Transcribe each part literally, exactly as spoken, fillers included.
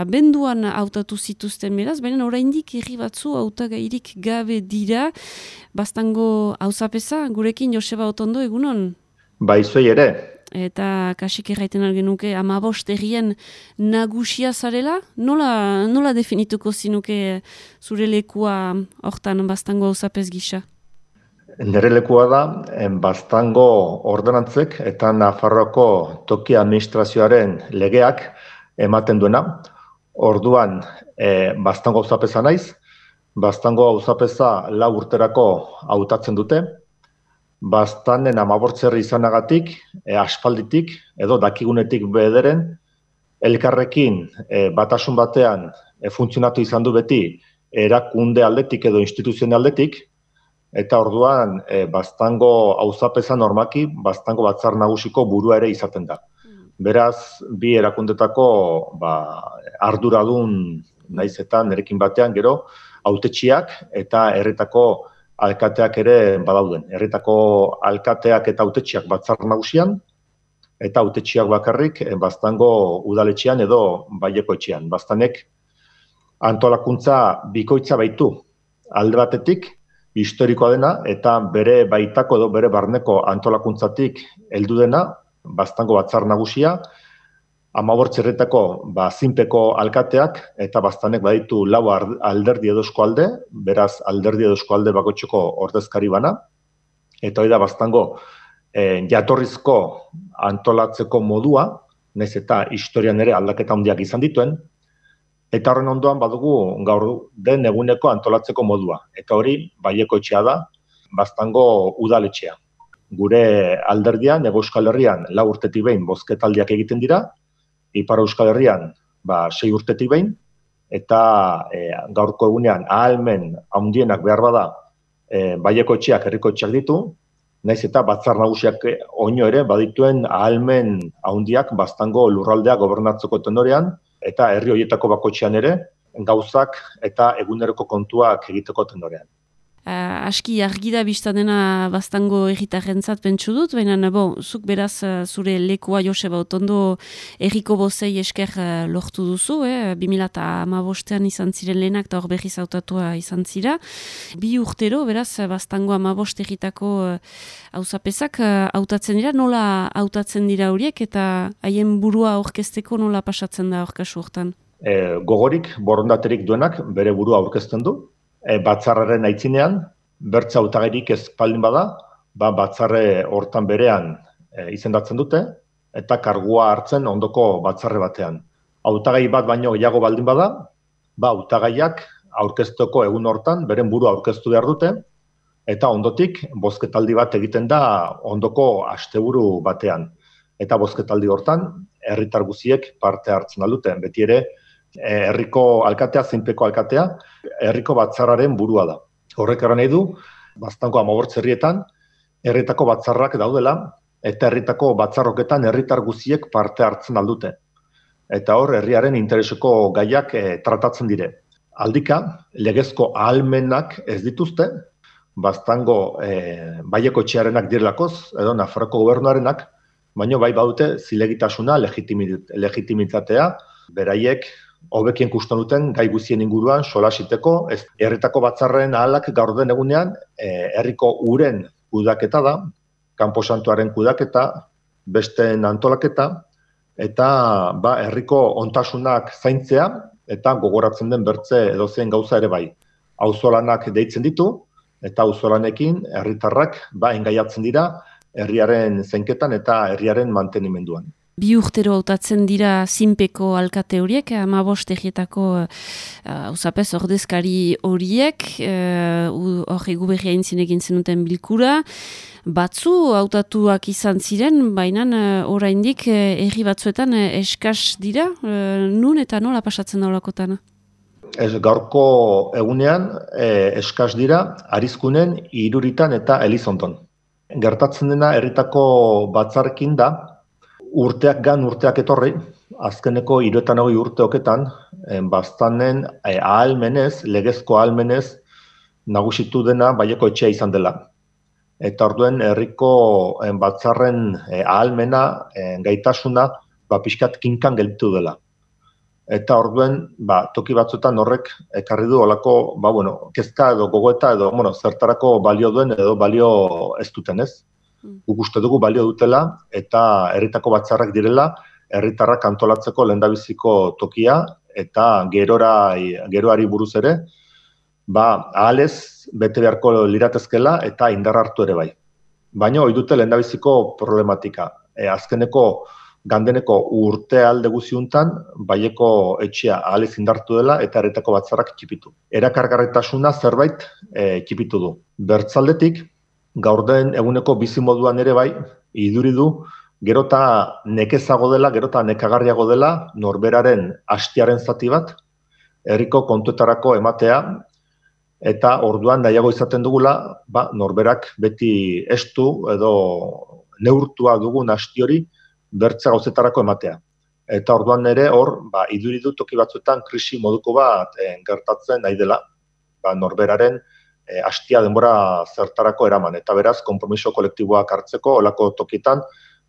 abenduan hautatu zituzten beraz, baina oraindik herri batzu hautagairik gabe dira. Baztango auzapeza, gurekin Joseba Otondo, egunon? Bai, zuei ere. Eta kasik erraiten algenuke hamabost herrien nagusia zarela? Nola, nola definituko zinuke zure lekua hortan Baztango auzapez gisa? Nere lekua da, Baztango ordenantzek eta Nafarroako toki administrazioaren legeak ematen duena. Orduan, e, Baztango auzapeza naiz, Baztango auzapeza lau urterako hautatzen dute, Baztanen hamabortz-herri izanagatik, e, aspalditik, edo dakigunetik bederen, elkarrekin e, batasun batean e, funtzionatu izan du beti erakunde aldetik edo instituzioen aldetik, eta orduan e, Baztango auzapeza normaki, Baztango batzar nagusiko burua ere izaten da. Beraz, bi erakundetako ba, arduradun naiz eta nerekin batean gero, hautetsiak eta herritako alkateak ere badauden. Herritako alkateak eta hautetsiak batzar nagusian, eta hautetsiak bakarrik Baztango udaletxean edo Baileko etxean. Baztanek antolakuntza bikoitza baitu. Alde batetik, historikoa dena, eta bere baitako edo bere barneko antolakuntzatik heldu dena, Baztango batzar nagusia, hamabortz herritako ba, zinpeko alkateak, eta Baztanek baditu lau alderdi edo eskualde, beraz alderdi edo eskualde bakoitzeko ordezkari bana, eta hori da Baztango e, jatorrizko antolatzeko modua, nahiz eta historian ere aldaketa handiak izan dituen, eta horren ondoan badugu gaur den eguneko antolatzeko modua. Eta hori Baileko etxea da, Baztango udaletxea. Gure alderdian, Hego Euskal Herrian, lau urtetik behin bozketaldiak egiten dira, Ipar Euskal Herrian, ba, sei urtetik behin, eta e, gaurko egunean ahalmen handienak behar bada e, Baileko etxeak, herriko etxeak ditu, naiz eta batzar nagusiak oino ere badituen ahalmen handiak Baztango lurraldea gobernatzeko tenorean, eta herri horietako bakoitzean ere, gauzak eta eguneroko kontuak egiteko tenorean. Uh, aski argi da biztan dena Baztango herritarrentzat pentsu dut, baina bon, zuk beraz uh, zure lekua Joseba Otondo herriko bozei esker uh, lortu duzu, eh? bi mila hamabostean izan ziren lehenak eta hor berriz hautatua izan zira. Bi urtero, beraz, Baztango hamabost herritako auzapezak uh, hautatzen dira, nola hautatzen dira horiek eta haien burua aurkezteko nola pasatzen da aurkasu hortan? E, gogorik, borondaterik duenak bere burua aurkezten du. E, batzarraren aitzinean, bertza hautagairik ez baldin bada, ba, batzarre hortan berean e, izendatzen dute, eta kargua hartzen ondoko batzarre batean. Hautagai bat baino gehiago baldin bada, ba, hautagaiak aurkezteko egun hortan, beren burua aurkeztu behar dute, eta ondotik, bozketaldi bat egiten da ondoko asteburu batean. Eta bozketaldi hortan, herritar guziek parte hartzen alduten, beti ere, herriko alkatea, zinpeko alkatea, herriko batzarraren burua da. Horrek eran nahi du, Baztango hamabortz herrietan, herritako batzarrak daudela, eta herritako batzarroketan herritar guziek parte hartzen aldute. Eta hor, herriaren intereseko gaiak e, tratatzen dire. Aldika, legezko ahalmenak ez dituzte, Baztango e, Baileko etxearenak direlakoz, edo Nafarroko gobernuarenak, baina bai badute zilegitasuna, legitimitatea, beraiek hobekien kuston duten gai guzien inguruan solasiteko, ez herritako batzarren ahalak gaur den egunean e, herriko uren kudaketa da, kanposantuaren kudaketa, besteen antolaketa, eta ba, herriko ontasunak zaintzea, eta gogoratzen den bertze edozein gauza ere bai. Auzolanak deitzen ditu, eta auzolanekin herritarrak ba, engaiatzen dira herriaren zainketan eta herriaren mantenimenduan. Bi urtero hautatzen dira zinpeko alkate horiek, hamabost herrietako auzapez uh, ordezkari horiek, hor uh, egu berria intzin egin zenuten bilkura. Batzu hautatuak izan ziren, baina uh, oraindik uh, herri batzuetan uh, eskas dira, uh, nun eta nola pasatzen da holakotan? Ez, gaurko egunean eh, eskas dira, Arizkunen, Iruritan eta Elizondon. Gertatzen dena herritako batzarrekin da, urteak gan urteak etorri, azkeneko hiruetan hogei urteoketan, Baztanen eh, ahalmenez, legezko ahalmenez, nagusitu dena Baileko etxea izan dela. Eta orduen herriko eh, batzarren eh, ahalmena, eh, gaitasuna, ba, pixkat kinkan gelditu dela. eta orduen, ba, toki batzuetan horrek ekarri du olako, ba, bueno, kezka edo gogoeta edo, bueno, zertarako balio duen edo balio ez duten, ez? Guk uste dugu balio dutela eta herritako batzarrak direla, herritarrak antolatzeko lehendabiziko tokia eta gerora, geroari buruz ere, ba, ahalez bete beharko liratezkela eta indar hartu ere bai. Baina hori dute lehendabiziko problematika. E, azkeneko gandeneko urte alde guziuntan, baieko etxea ahalez indartu dela eta herritako batzarrak txipitu. Erakargarritasuna zerbait e, txipitu du. Bertzaldetik, gaur den eguneko bizimoduan ere bai, iduri du, gerota nekezago dela, gerota nekagarriago dela, norberaren hastiaren zati bat, herriko kontuetarako ematea, eta orduan nahiago izaten dugula, ba, norberak beti estu edo neurtua dugun hasti hori bertze gauzetarako ematea. Eta orduan ere hor, ba, iduri du toki batzuetan krisi moduko bat e, gertatzen nahi dela, ba, norberaren e, hastia denbora zertarako eraman. Eta beraz, konpromiso kolektiboak hartzeko, olako tokitan,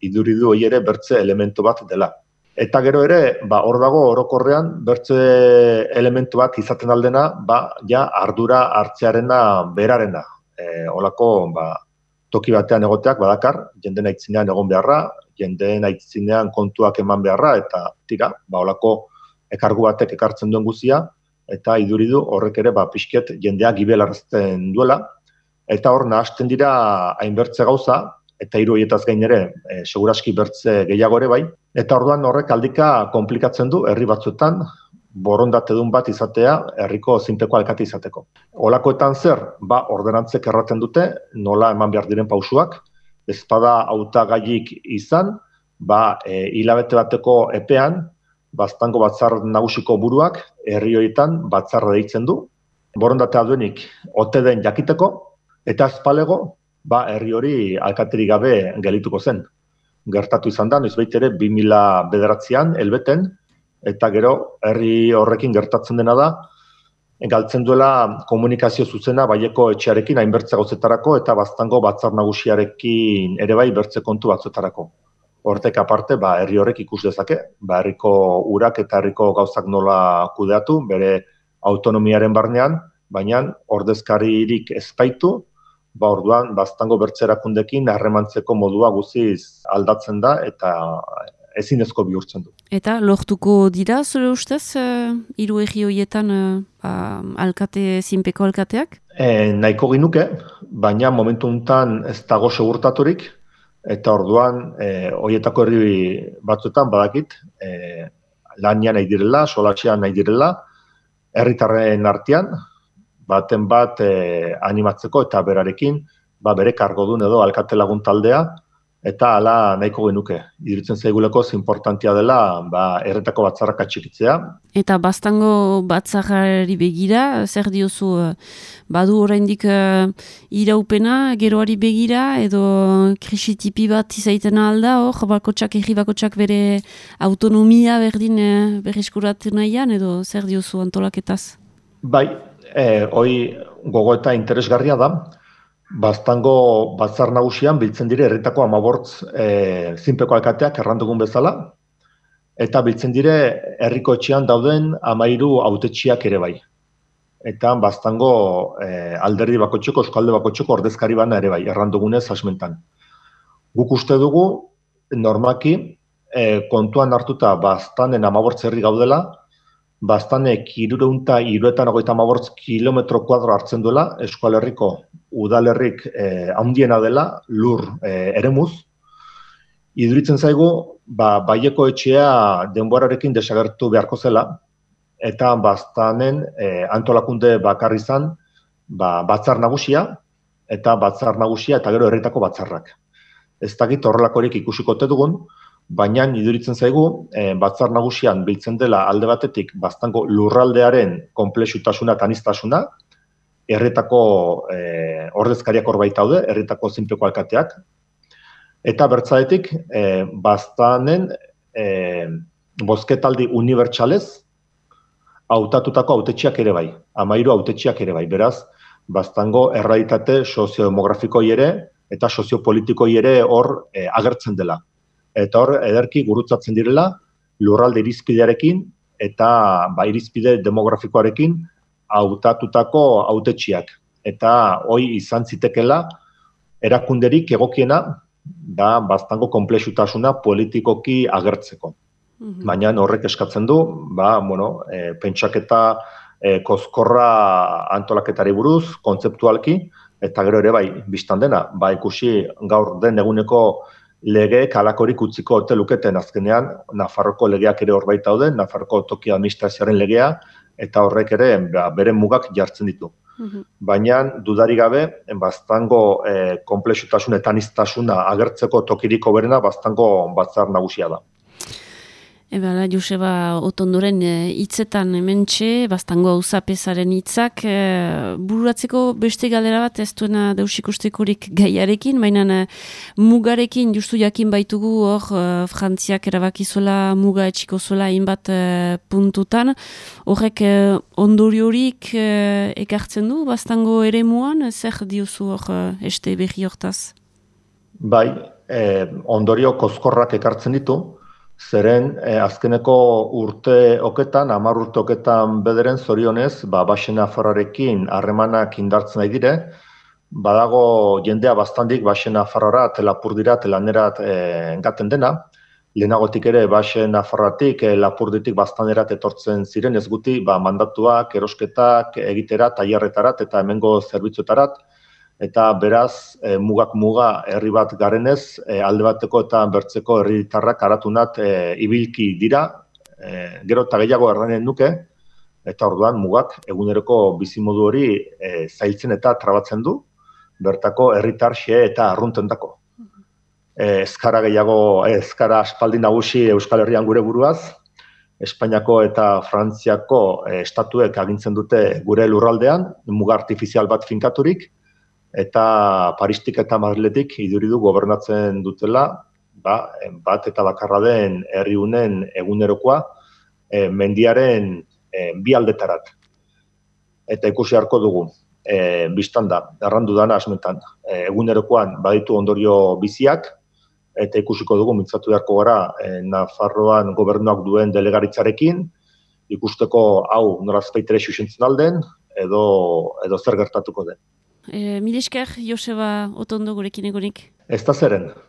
iduri du hori ere bertze elementu bat dela. Eta gero ere, ba, hor dago orokorrean, bertze elementu bat izaten aldena, ba, ja, ardura hartzearena berarena. E, olako, ba, toki batean egoteak badakar, jendeen aitzinean egon beharra, jendeen aitzinean kontuak eman beharra, eta tira, ba, olako ekargu batek ekartzen duen guzia, eta iduri du horrek ere, ba, pixket jendea gibelarazten duela, eta hor nahasten dira hainbertze gauza, eta hiru horietaz gain ere, e, seguraski bertze gehiago ere bai, eta orduan horrek aldika konplikatzen du herri batzuetan, borondatedun bat izatea, herriko zinpeko alkate izateko. Olakoetan zer, ba, ordenantzek erraten dute, nola eman behar diren pausuak, ezpada hautagaiik izan, ba, e, hilabete bateko epean, baztango batzar nagusiko buruak, herri horietan batzarra deitzen du, borondatea duenik ote den jakiteko, eta ezpalego, ba, herri hori alkaterik gabe gelituko zen. Gertatu izan da, noizbait ere, bi mila bederatzian, helbeten, eta gero, herri horrekin gertatzen dena da, galtzen duela komunikazio zuzena baieko etxearekin hainbertze gauzetarako eta baztango batzar nagusiarekin ere bai bertze kontu batzuetarako. Hortek aparte, ba, herri horrek ikus dezake, ba, herriko urak eta herriko gauzak nola kudeatu, bere autonomiaren barnean, baina ordezkaririk ez baitu, ba, orduan, baztango bertzerakundekin harremantzeko modua guziz aldatzen da eta ezinezko bihurtzen du. Eta lortuko dira, zure ustez, uh, hiru herri horietan uh, alkate, zinpeko alkateak? E, nahiko ginuke, baina momentu honetan ez dago segurtaturik, eta orduan, e, horietako herri batzuetan badakit, e, lanian nahi direla, solatxean nahi direla, herritarren artean, baten bat e, animatzeko eta berarekin, ba, bere kargodun edo alkate lagun taldea, eta hala nahiko genuke. Iduritzen zaiguleko importantea dela, ba, erretako batzarrak atxikitzea. Eta baztango batzarrari begira, zer diozu, badu oraindik uh, iraupena, geroari begira, edo krisitipi bat izaiten alda, hor, bakotxak, erri bakotxak bere autonomia berdin uh, berreskuratu nahian, edo zer diozu antolaketaz? Bai, eh, hoi gogo eta interesgarria da, baztango batzar nagusian biltzen dire herritako hamabortz e, zinpeko alkateak errandugun bezala, eta biltzen dire herriko etxean dauden hamairu hautetxiak ere bai. Eta baztango e, alderdi bakotxeko, euskalde bakotxeko ordezkari bana ere bai, errandugunez asmentan. Guk uste dugu, normaki, e, kontuan hartuta baztanen hamabortz herri gaudela, baztanek hirureunta hiruetan hogeita hamabortz kilometro kuadro hartzen duela, Euskal Herriko udalerrik eh, handiena dela, lur eh, eremuz. Iduritzen zaigu, ba, baieko etxea denborarekin desagertu beharko zela, eta baztanen eh, antolakunde bakar izan, ba, batzar nagusia, eta batzar nagusia eta gero herritako batzarrak. Ez dakit horrelakorik ikusiko ote dugun, baina iduritzen zaigu, e, batzar nagusian biltzen dela alde batetik baztango lurraldearen konplexutasuna eta aniztasuna, herritako e, ordezkariak hor baita daude, herritako zinpeko alkateak, eta bertzadetik e, baztanen e, bozketaldi unibertsalez hautatutako hautetxiak ere bai, hamairu hautetxiak ere bai, beraz, baztango errealitate soziodemografikoi ere eta soziopolitikoi ere hor e, agertzen dela. Eta hor, ederki gurutzatzen direla, lurralde irizpidearekin, eta ba, irizpide demografikoarekin hautatutako hautetsiak. Eta hoi izan zitekela erakunderik egokiena da baztango konplexutasuna politikoki agertzeko. Mm-hmm. Baina horrek eskatzen du, ba, bueno, e, pentsaketa e, kozkorra antolaketari buruz, kontzeptualki, eta gero ere bai, biztan dena, ba, ikusi gaur den eguneko legeek halakorik utziko ote luketen azkenean, Nafarroko legeak ere horbait daude, Nafarroko toki administrazioaren legea, eta horrek ere ba, bere mugak jartzen ditu. Mm-hmm. Baina dudarik gabe, baztango e, konplexutasun eta aniztasuna agertzeko tokirik hoberena baztango batzar nagusia da. Eba, Joseba Otondoren hitzetan hementxe, baztango auzapezaren hitzak, e, bururatzeko beste galdera bat ez duena deus ikustekorik gaiarekin, baina mugarekin justu jakin baitugu hor e, Frantziak erabakizuela muga etxiko zuela hainbat e, puntutan, horrek e, ondoriorik e, ekartzen du baztango eremuan, zer diozu hor e, este berri hortaz? Bai, e, ondorio kozkorrak ekartzen ditu, zeren eh, azkeneko urte oketan, hamar urte oketan bederen zorionez, ba, Baxe Nafarroarekin harremanak indartzen nahi dire, badago jendea bastandik Baxe Nafarroarat, Lapurdirat, Lanerat eh, engaten dena, lehenagotik ere Baxe Nafarroatik, eh, Lapurditik Baztanerat etortzen ziren ez guti, ba, mandatuak, erosketak, egitera, tailerretarat eta hemengo zerbitzuetarat, eta beraz, e, mugak muga herri bat garenez, e, alde bateko eta bertzeko herritarrak aratunat e, ibilki dira, e, gero eta gehiago erranen nuke, eta orduan mugak eguneroko bizimodu hori e, zailtzen eta trabatzen du, bertako herritar xe eta arruntendako. E, ezkara gehiago, e, ezkara aspaldi nagusi Euskal Herrian gure buruaz, Espainiako eta Frantziako e, estatuek agintzen dute gure lurraldean, muga artifizial bat finkaturik, eta Paristik eta Madriletik iduridu gobernatzen dutela, ba, bat eta bakarra den herri unen egunerokoa e, mendiaren e, bi aldetarat. Eta ikusi harko dugu, e, biztan da, errandu dana asmetan, e, egunerokoan baditu ondorio biziak, eta ikusiko dugu mintzatu beharko gara e, Nafarroan gobernuak duen delegaritzarekin, ikusteko hau norazpeitere xuxentzen alden, edo, edo zer gertatuko den. E, Mil esker, Joseba Otondo gurekin egonik. Ez da zeren.